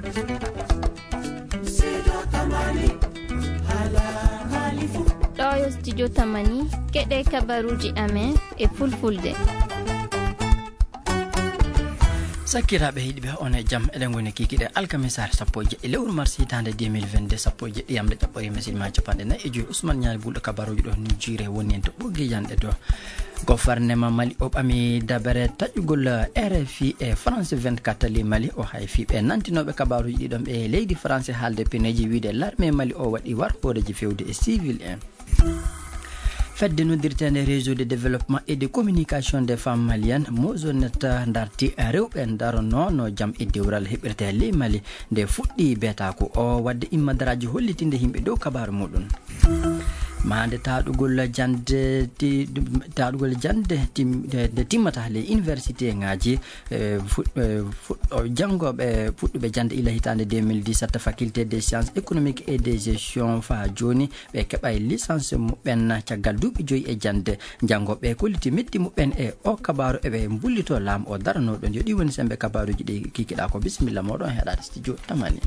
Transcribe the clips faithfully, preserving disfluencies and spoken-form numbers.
Ɗo yo studio Tamani, keɗe kabaruuji amen e fulfulde. Sakkiraaɓe heɗiiɓe, on e jam. Eɗen ngoni kiikiiɗe alkamisaare sappo e jeɗɗi lewru mars hitaande deux mille vingt-deux, sappo e jeɗɗi yamde ɗaɓɓorii masiiɗi maa capanɗe nayi e joyi. Ousmane Niani, bulɗo kabaruuji ɗo, ni jiire woni en to ɓoggi janɗe to. Gofarnema Mali o ɓami dabere taƴugol R F I e France vingt-quatre ley Mali. O hay fii ɓe nantinooɓe kabaruuji ɗi ɗon ɓe leydi France haalde peneeji, wiide larme Mali o waɗi war hooreeji fewde e civil en. Fedde noddirteende Réseau de développement et de communication des femmes maliennes, Mozonet, darti rewɓe daronoo no jam e dewral heɓirtee ley Mali nde fuɗɗi beetaaku o, waɗde immadaraaji hollitinde yimɓe dow kabaaru muɗum. Maande taɗugol jannde ti-, taɗugol jannde tim-, nde timmata ley université ŋaaji, eh, fuɗ-, eh, fuɗɗo-, janngooɓe fuɗɗuɓe jannde ila hitaande deux mille dix-sept, faculté des sciences économiques et de gestion faa jooni ɓe keɓay licence muɓɓen caggal duuɓi joyi e jannde. Janngooɓe kolliti meddi muɓɓen e o kabaaru, eɓe mbullito laamu o daranoo ɗon. Yo ɗi woni semmbe kabaaruuji ɗi kiikiɗaa ko. Bisimilla mooɗon heɗaade studio Tamani.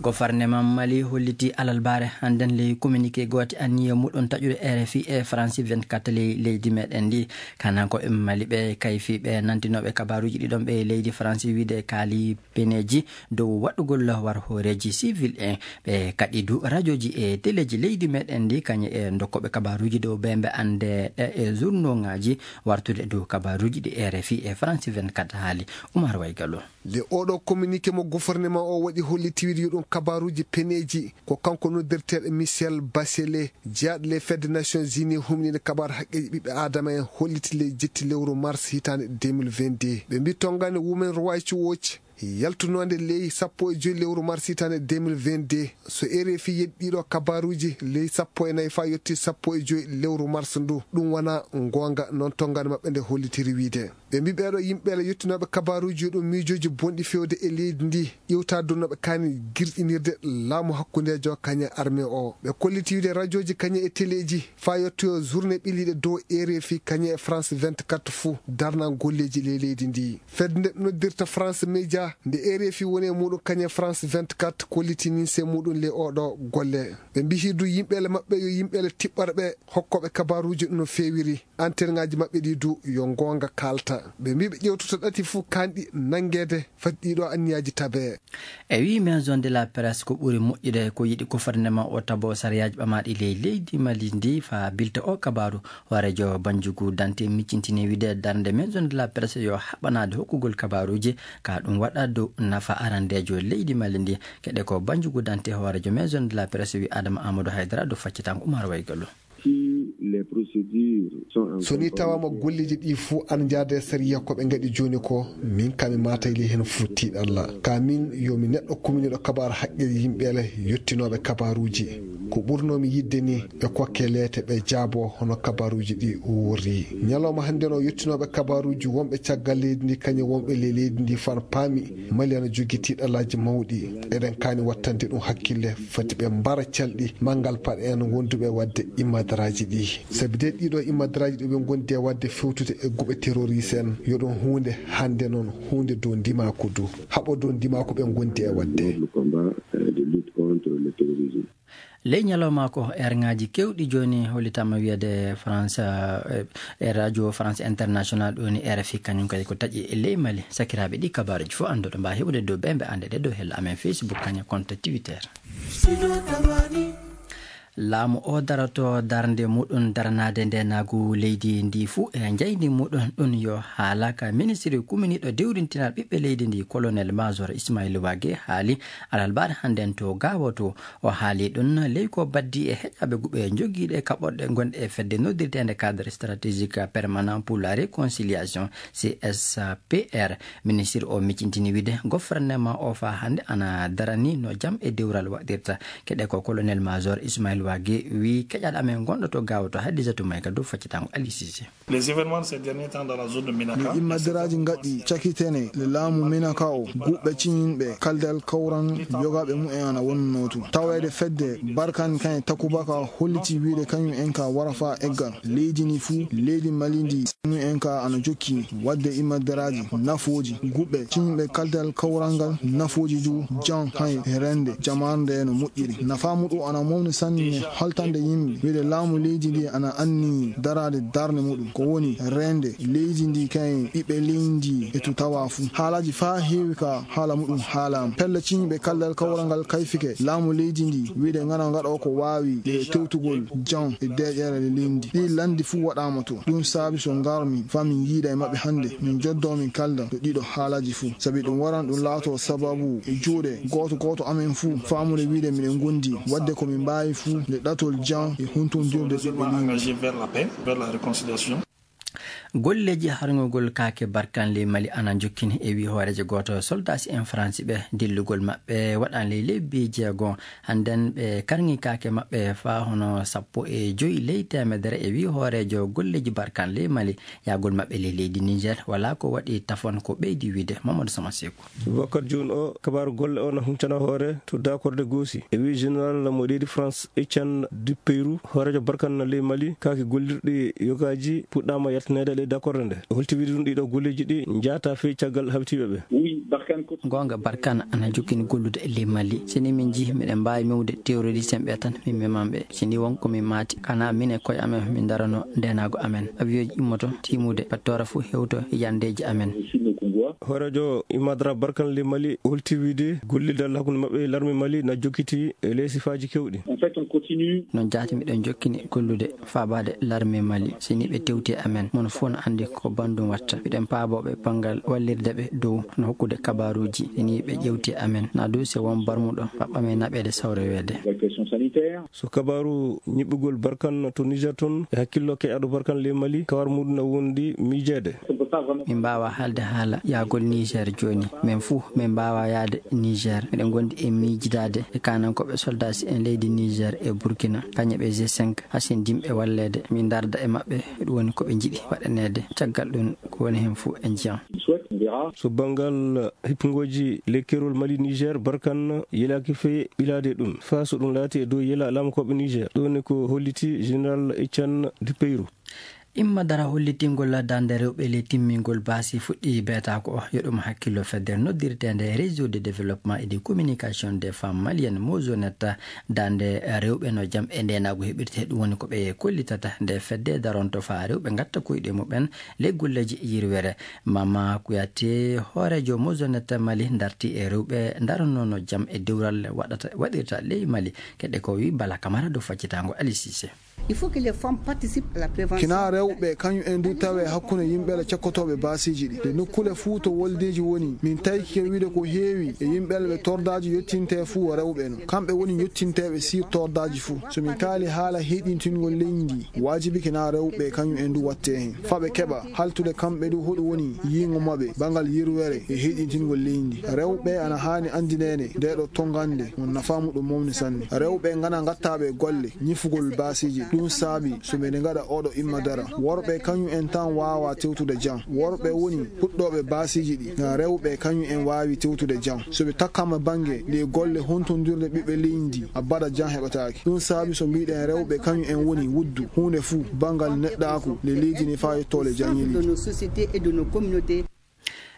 Gofarnema Mali holliti alalbaare hannden ley communiqué goote anniya muɗum taƴude R F I e France vingt-quatre ley leydi meɗen ndi. Kananko e Mali ɓe kayfi ɓe nantinooɓe kabaaruuji ɗi ɗon ɓe leydi France wiide kaali peneeji dow waɗugol war hooreeji civil en. Ɓe kaɗi du rajooji e teleeji leydi meɗen ndi, kañe e dokkooɓe kabaaruuji dow bembe annde e, e journalŋaaji wartude dow kabaaruuji ɗi R F I e France vingt-quatre haali. Umar Waygallo. Nde oɗo communiqué mo gouvernement o waɗi holliti wiide yo ɗum kabaaruuji peneeji, ko kanko noddirteeɗo Michel Bachelet, jeyaaɗo ley fedde Nations Unies humniinde kabaaru haqqeeji ɓiɓɓe aadama en, holliti ley jetti lewru mars hitaande deux mille vingt-deux. Ɓe mbi tonngani Women Rights Watch yaltunoonde ley sappo e joyi lewru mars hitaande deux mille vingt-deux, so R F I yeɗi ɗiɗo kabaaruuji ley sappo e nayi faa yotti sappo e joyi lewru mars ndu, ɗum wonaa ngoonga, noon tonngani maɓɓe nde hollitiri wiide. Ɓe mbi ɓeeɗo yimɓe le yottinooɓe kabaaruuji yo ɗum miijooji bonɗi fewde e leydi ndi, iwta donnooɓe kaani girƴinirde laamu hakkundeejo kañe armée o. Ɓe kolliti wiide rajooji kañe e teleeji faa yottoyo journée ɓiliiɗe dow R F I kañe e France vingt-quatre fuu darna golleeji ley leydi ndi. Fedde nde noddirta France Média, nde R F I woni e muɗum kañe France vingt-quatre, kolliti ninse muɗum ley oɗo golle. Ɓe mbihi du yimɓe le maɓɓe yo yimɓe le tiɓɓarɓe hokkooɓe kabaaruuji no feewiri. Antenŋaaji maɓɓe ɗi du yo ngoonga kaalta. Ɓe mbi ɓe ƴewtoto ɗati fuu kanɗi nanngeede fati ɗiɗo anniyaaji tabee. E wii Maison de la Presse ko ɓuri moƴƴude ko yiɗi gouvernement o tabo sariyaaji ɓamaaɗi ley leydi Mali ndi faa bilta o kabaaru. Hooreejo Banjugu Dante miccintini wiide darnde Maison de la Presse yo haɓanaade hokkugol kabaaruuji ka ɗum waɗa dow nafa arandeejo leydi Mali ndi. Keɗe ko Banjugu Dante hooreejo Maison de la Presse wi Adama Amadou Haydara dow faccatango Umar Waygallo. Si les procédures sont en So ni tawaama golleeji ɗi fuu ana njaada e sariya ko ɓe ngaɗi jooni ko, min kam mi maatay ley heen fuu tiiɗalla. Ka min yo mi neɗɗo kuminiiɗo kabaaru haqqe yimɓe le yottinooɓe kabaaruuji. Ko ɓurnoo mi yiɗde ni ɓe kokke leete ɓe jaaboo hono kabaaruuji ɗi worri. Ñalawma hannde no yottinooɓe kabaaruuji wonɓe caggal leydi ndi kañum wonɓe ley leydi ndi faa paami Mali ana jogii tiiɗallaaji mawɗi. Eɗen kaani wattande ɗum hakkille, fati ɓe mbara calɗi manngal paɗe en wonduɓe waɗde immadaraaji ɗi. Sabi de ɗiɗo immadaraaji ɗi ɓe ngondi e waɗde fewtude e guɓe terroriste en, yo ɗum huunde hannde noon huunde dow ndimaaku du. Haɓo dow ndimaaku ɓe ngondi e waɗde. Le combat, euh, de lutte contre le terrorisme. Ley ñalawma ko erŋaaji keewɗi jooni hollitaama wiyeede France, eh, e radio France International ɗo ni R F I kañum kadi ko taƴi e ley Mali. Sakiraaɓe ɗi kabaaruuji fof annduɗo mbaa heɓude dow ɓe mbe annde ɗe dow hella amen Facebook kañum compte Twitter. Laamu o daroto darnde muɗum daranaade ndeenaagu leydi ndi fuu e njayndi muɗum ɗum yo haala ka ministiri kuminiiɗo dewrintinal ɓiɓɓe leydi ndi colonel major Ismail Wage haali alalbaare hannden to Gaawo to. O haali ɗum ley ko baddi e heƴaaɓe guɓe jogiiɗe kaɓorɗe gonɗe e fedde noddirteende cadre stratégique permanent pour la réconciliation C S P R. Ministir o miccintini wiide gouvernement o faa hannde ana darani no jam e dewral waɗirta. Keɗe ko colonel major Ismail Age wi keƴaɗo amen gonɗo to Gaawo to Hadisatu Mayga dow faccitango Ali Sise. Les événements de ces derniers temps dans la zone de Minaka. Ni immadiraaji ngaɗɗi cakitene le laamu Minaka o, guɓɓe ciñinɓe kaldal kawran yogaaɓe mumen ana wonno tun. Taweede fedde Barkan kan e Takubaka holliti wiide kañum en ka wara faa eggal. Leydi ni fuu, leydi Mali ndi, kañum en ka ana jokki waɗde immadiraaji, nafooji, guɓɓe ciñinɓe kaldal kawral ngal, nafooji du jan hay rende jamaare nde no moƴƴiri. Nafaa muɗum ana mawni sanne haltande yimɓe. Wiide laamu leydi ndi ana anni daraade darnde muɗum. Ko woni rende leydi ndi kay ɓiɓɓe leydi ndi e to tawa fuu. Haalaaji faa heewi ka haala muɗum haalaama. Pelle ciñiiɓe kaldal kawral ngal kayfike laamu leydi ndi. Wiide ngana ngaɗo ko waawi e tewtugol jan e deeƴere leydi ndi. Ɗi lanndi fuu waɗaama to. Ɗum saabi so ngarmi faa min yiida e maɓɓe hannde. Min joddoo min kalda ɗo ɗiɗo haalaaji fuu. Sabi ɗum waran ɗum laato sababu e juuɗe gooto gooto amen fuu. Faamude wiide miɗen ngondi waɗde ko min mbaawi fuu nde ɗatol jan e huntondirde ɓiɓɓe leydi. Engagé vers la paix, vers la réconciliation. Golleeji harngugol kaake Barkan ley Mali ana njokkini e wi hooreejo gooto soldaasi en Faransi ɓe dillugol maɓɓe waɗan ley lebbi jeego. Hannden ɓe karngi kaake maɓɓe faa hono sappo e joy ley teemedere e wi hooreejo golleeji Barkan ley Mali. Yahgol maɓɓe ley leydi Niger walaa ko waɗi tafon ko ɓeydi wiide Mamadou Sama Seku. Boubacar Dioune o, kabaaru golle o na huncana hoore to dakorde goosi. E wi général mo leydi France, Etienne Dupeyrou, hooreejo Barkan ley Mali, kaaki gollirɗi yogaaji puɗɗaama yaltineede ley dakorde nde. O holti wiide ɗum ɗiɗo golleeji ɗi njaata fey caggal habitiiɓe ɓe. Goonga, Barkan ana jokkini gollude e ley Mali. Si ni min njihi, miɗen mbaawi mewde terroriste en ɓe tan, min meman ɓe. Si ni won ko min maati, kana min e koye amen, min darano ndeenaagu amen. Avion ji immoto tiimude, pattoora fuu hewto yandeeji amen. Hooreejo Imadra Barkan ley Mali holti wiide gollidal hakkunde maɓɓe e larme Mali na jokkiti e ley sifaaji kewɗi. Non jaati miɗen jokkini gollude faabaade larme Mali. Si ni ɓe tewti e amen, mono fof no anndi ko banndum watta. Miɗen paaboo ɓe banngal wallirde ɓe dow no hokkude kabaaruuji. Si ni ɓe ƴewti e amen, na du si won barmuɗo, ɓaɓɓa men naɓeede sawreweede. So kabaaru ñiɓɓugol Barkan to Niger toon, e hakkillo keƴaɗo Barkan ley Mali, kawar muɗum na wondi miijeede. Min mbaawa haalde haala yahgol Niger jooni. Men fuu, men mbaawa yahde Niger. Miɗen ngondi e miijidaade e kaanankooɓe soldaasi en leydi Niger e Burkina, kañe ɓe G cinq, hasin dimɓe walleede. Min ndarda e maɓɓe, ɗum woni ko ɓe njiɗi waɗaneede. Caggal ɗum, ko woni heen fuu en njiyan. So banngal hippingooji ley keerol Mali Niger, Barkan yelaaki fey ɓilaade ɗum, faa so ɗum laati e dow yela laamukooɓe Niger. Ɗum woni ko holliti général Etienne Dupeyrou. Imma dara hollitingol darnde rewɓe ley timmingol baasi fuɗɗi beetaako o. Yo ɗum hakkillo fedde noddirteende Réseau de développement et de communication des femmes maliennes, Mozonet, darnde rewɓe no jam e ndeenaagu heɓirte. Ɗum woni ko ɓe kollitata nde fedde daronto faa rewɓe ngatta koyɗe muɓɓen ley golleeji yirwere. Mama Kouyaté, hooreejo Mozonet Mali, darti e rewɓe daranno no jam e dewral waɗata, waɗirta ley Mali. Keɗe ko wi Bala Kamara dow faccitaango Ali Cissé. Il faut que les femmes participent à la prévention. Kina rewɓe kañum en du tawe hakkunde yimɓe la cekkotooɓe baasiiji ɗi. Nde nokkule fuu to woldeeji woni, min tawike wiide ko heewi e yimɓe la ɓe tordaaji yottinte fuu rewɓe no. Kamɓe woni yottinteeɓe sir tordaaji fuu. So min kaali haala heyɗintingol leydi ndi, waajibi kina rewɓe kañum en du watte heen. Faa ɓe keɓa haltude kamɓe du hoɗum woni yiingo maɓɓe banngal yirwere e heyɗintingol leydi ndi. Rewɓe ana haani anndineede nde ɗo tongande mo nafaa muɗum mawni sanne. Rewɓe ngana ngattaaɓe golle ñifugol baasiiji. Ɗum saabi so miɗen ngaɗa oɗo imma dara. Worɓe kañum en tan waawa tewtude jam. Worɓe woni puɗɗooɓe baasiiji ɗi. Rewɓe kañum en waawi tewtude jam. So ɓe takkaama bannge ley golle hontondirde ɓiɓɓe leydi ndi, abada jam heɓataake. Ɗum saabi so mbiɗen rewɓe kañum en woni wuddu huunde fuu banngal neɗɗaaku ley leydi ndi faa yettoole jam ñeli. De nos sociétés et de nos communautés.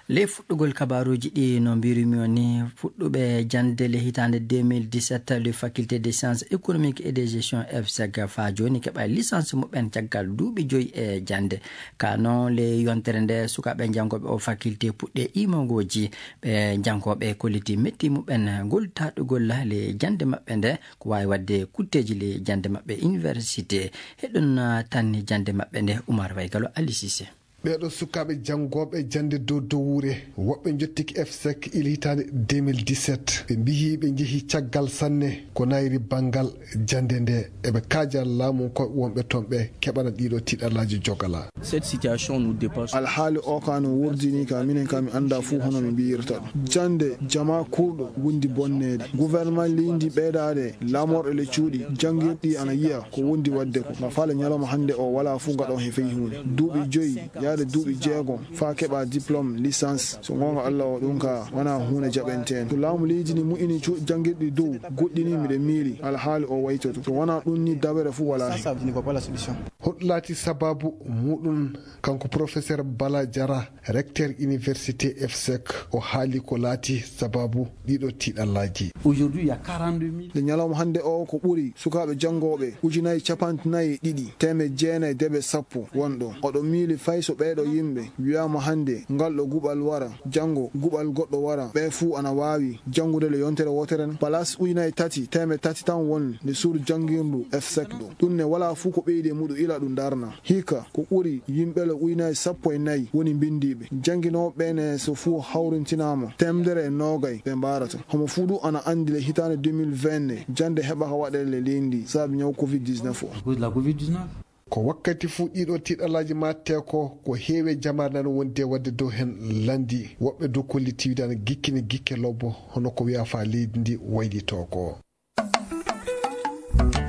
Ley fuɗɗugol kabaaruuji ɗi, no mbirumi on ni, fuɗɗuɓe jannde le hitaande deux mille dix-sept, le faculté des sciences économiques et de gestion, F sec, faa jooni keɓa licence muɓɓen caggal duuɓi joyi e jannde. Ka non, le yontere nde sukaaɓe janngooɓe o faculté puɗɗe imogooji, ɓe janngooɓe kolliti metti muɓɓen ngol taɗugol le jannde maɓɓe nde, ko waawi waɗde kutteeji le jannde maɓɓe université. Heɗon tan jannde maɓɓe nde, Oumar Waygalo, Ali Cissé. Ɓeeɗo sukaaɓe janngooɓe jannde dow dowuure, woɓɓe njottiki EFSEC ila hitaande deux mille dix-sept. Ɓe mbiyi ɓe njehi caggal sanne ko nayri banngal jannde nde. Eɓe kaaja laamu ko wonɓe toon ɓe keɓana ɗiɗo tiiɗallaaji jogala. Cette situation nous dépasse. Alhaali o ka no wurdini ka, minen ka mi annda fuu hono mi mbiyirta ɗum. Jannde jama kurɗo wondi bonneede. Gouvernement leydi ɓeydaade laamorɗe le cuuɗi, janngirɗi ana yiya ko wondi waɗde ko. Ma faale ñalawma hannde o wala fuu ngaɗo he fey huunde. Duuɓi joyi, yaade duuɓi jeegom, faa keɓa diplôme licence. So goonga Allah o ɗum ka, wana huunde jaɓenteen. To laamu leydi ni mu'ini cu-, janngirɗi dow, goɗɗi ni miɗe miili, alhaali o waytoto. So wana ɗum ni dawere fuu wala hen. Ça, ça ne va pas la solution. Hoɗo laati sababu muɗum, kanko professeur Bala Jara, recteur université EFSEC, o haali ko laati sababu ɗiɗo tiiɗallaaji. Aujourd'hui, il y a quarante-deux mille. Nde ñalawma hannde o ko ɓuri sukaaɓe janngooɓe ujunaaji capanɗe nayi e ɗiɗi, teemeɗɗe jeenayi debe sappo wonɗo. Oɗo miili fay so ɓeeɗo yimɓe wiyaama hannde ngal ɗo guɓal wara, janngo guɓal goɗɗo wara, ɓe fuu ana waawi janngude le yontere wootere ne. Place ujunaaji tati, teemeɗɗe tati tan won nde suudu janngirndu EFSEC ɗo. Ɗum ne wala fuu ko ɓeydi e muɗum ila ɗum darna. Hikka, ko ɓuri yimɓe le ujunaaji sappo e nayi woni mbinndiiɓe. Jannginooɓe ɓe ne so fuu hawrintinaama, teemedere e noogay ɓe mbaarata. Homo fuu ɗum ana anndi le hitaande deux mille vingt nde, jannde heɓaka waɗeede le leydi ndi, saabi ñaw covid dix-neuf o. À cause de la covid dix-neuf. Ko wakkati fuu ɗiɗo tiiɗallaaji maattee ko, ko heewi jamaare nan wonde waɗde dow heen lanndi. Woɓɓe dow kollitiiwde ana gikkini gikke lobbo, hono ko wiyaa faa leydi ndi waylitoo ko.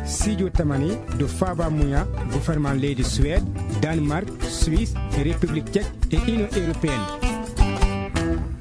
Studio Tamani dow faaba muya gouvernement leydi Suède, Danemark, Suisse, République Tchèque e Union Européenne.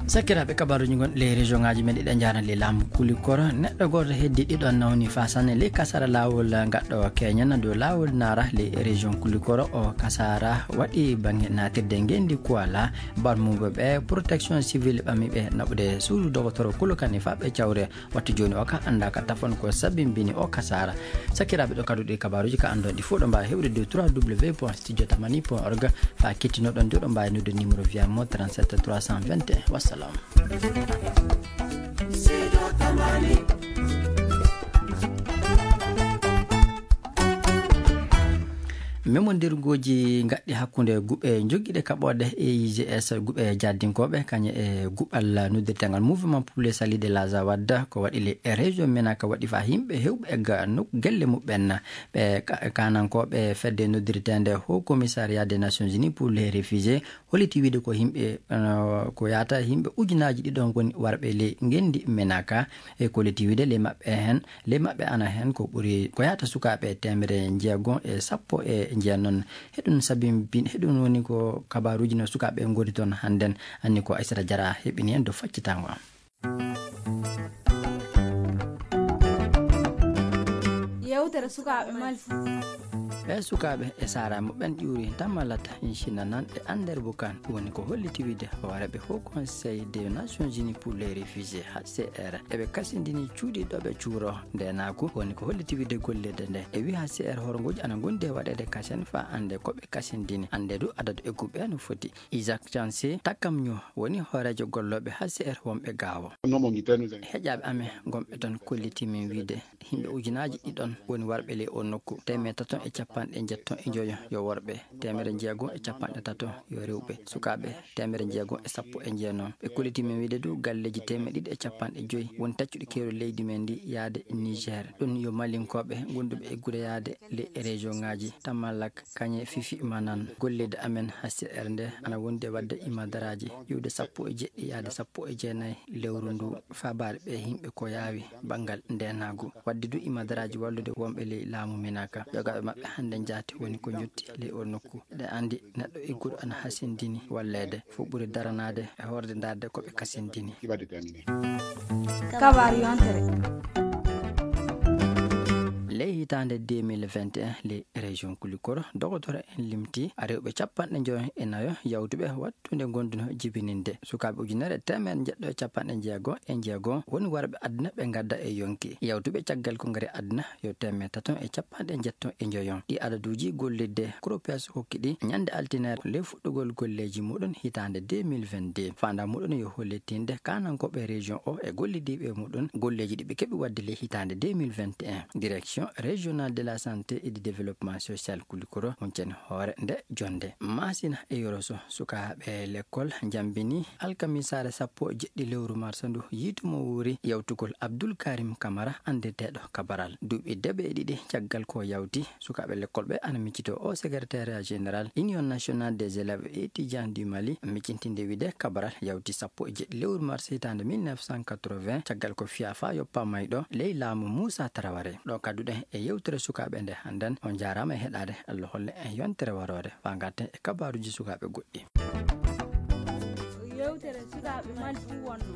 Sakiraaɓe, kabaruuji gonɗi ley région ŋaaji men ɗiɗi njaarani ley laamu Kulikoro. Neɗɗo gooto heddi ɗiɗo nawni faa sanne ley kasaara laawol gaɗɗo Keñana dow laawol naara ley région Kulikoro. O kasaara waɗi baŋŋe naatirde ngenndi Kuala, barmuɓe ɓe protection civile ɓami ɓe naɓude suudu dogotoro Kulokani faa ɓe cawre. Wattu jooni o ka annda ka tafon ko sabimbini o kasaara. Sakiraaɓe, ɗo kadduɗi kabaruuji ka anndon ɗi fuu ɗo mbaawi heɓude dow trois W point studio tamani point org. Faa kettinoɗon ɗo ɗo mbaawi noddude numéro via mo trente-sept trois cent vingt et un. Wassalam. Memondirgooji ngaɗɗi hakkunde guɓe jogiiɗe kaɓooɗe E I G S, guɓe jaddinkooɓe, kañe e guɓal noddirteengal Mouvement pour le Salut de l'Azawad, ko waɗi le région Menaka waɗi faa yimɓe heewɓe e ga nok-, gelle muɓɓen. Ɓe ka-, kanankooɓe fedde noddirteende Haut Commissariat des Nations Unies pour les Réfugiés holliti wiide ko yimɓe, eh, ko yaata yimɓe ujunaaji ɗiɗon ngoni warɓe ley ngenndi Menaka. E ko holliti wiide ley maɓɓe heen, ley maɓɓe ana heen ko ɓuri, ko yaata sukaaɓe teemedere jeegom e sappo e jeenon. Heɗum sabimbin-, heɗum woni ko kabaruuji no sukaaɓe ngoni toon hannden. Anni ko Aissata Diarra heɓini en dow faccitango am. Yewtere sukaaɓe Mali. Ɓe sukaaɓe e saara muɓɓen ƴuuri Damalata Incina nan e Ander Bukan, woni ko holliti wiide hooreeɓe Haut Conseil des Nations Unies pour les Réfugiés, H C R. Eɓe kasindini cuuɗi ɗo ɓe cuuro ndeenaagu, woni ko holliti wiide gollirde nde. E wi H C R horngooji ana ngondi e waɗeede kasen faa annde ko ɓe kasindini, annde du adadu egguɓe no foti. Isaac Chanse Takamnyo woni hooreejo gollooɓe H C R wonɓe Gaawo. Heƴaaɓe amen gonɓe toon kolliti min wiide yimɓe ujunaaji ɗiɗon woni warɓe ley oo nokku. Teemedde tato e capanɗe njetto e njoyo yo worɓe, teemedere jeegom e capanɗe tato yo rewɓe, sukaaɓe teemedere jeegom e sappo e jeenom. Ɓe kolliti min wiide du galleeji teemedde ɗiɗi e capanɗe joy woni taccuɗi keerol leydi men ndi yaade Niger. Ɗum yo malinkooɓe gonduɓe eggude yaade ley région ŋaaji Tamalak, Kañe, Fifi, Manan. Gollirde amen H C R nde ana wondi e waɗde imadaraaji iwde sappo e jeɗɗi yaade sappo e jeenayi lewru ndu, faabaade ɓe yimɓe ko yaawi banngal ndeenaagu. Waɗde du imadaraaji wallude wonɓe ley laamu Minaka. Jogaaɓe maɓɓe hannde njaati woni ko njotti ley oo nokku. Eɗen anndi neɗɗo egguɗo ana hasindini walleede, fof ɓuri daranaade e hoorde ndaarde ko ɓe kasindini. Kabaar yontere. Ley hitaande deux mille vingt et un, ley région Kulikoro, dogotoro en limti rewɓe capanɗe njoyo e nayo yawtuɓe wattude ngonduno jibininde. Sukaaɓe ujunere teemedde jeɗɗo e capanɗe jeego e jeego woni warɓe aduna ɓe ngadda e yonki. Yawtuɓe caggal kongre aduna yo teemedde tato e capanɗe jeetati e njoyo. Ɗi adaduuji gollirde Cropias hokki ɗi ñande altine ley fuɗɗugol golleeji muɗum hitaande deux mille vingt-deux. Faandaare muɗum yo hollitinde kaanankooɓe région o e gollidiiɓe muɗum golleeji ɗi ɓe keɓi waɗde ley hitaande deux mille vingt et un. Direction Régional de la Santé et du Développement Social Kulikoro, huncani hoore nde jonnde. Masina e Yoroso, sukaaɓe lekkol njambini alkamisaare sappo e jeɗɗi lewru marsa ndu, yiitu mo wuuri yawtugol Abdul Karim Kamara, anndirteeɗo Kabaral. Duuɓi deɓe e ɗiɗi caggal ko yawti, sukaaɓe lekkol ɓe ana miccito o secrétariat général Union nationale des élèves et étudiants du Mali, miccintinde wiide Kabaral yawti sappo e jeɗɗi lewru mars hitaande mille neuf cent quatre-vingts, caggal ko fiya fa yoppa mayɗo ley laamu Moussa Traoré. Ɗo kadduɗen e yewtere sukaaɓe nde hannden. On jaaraama e heɗaade. Allah holle en yontere waroore faa ngarten e kabaaruuji sukaaɓe goɗɗi. Yewtere sukaaɓe Mali ɗum wonno.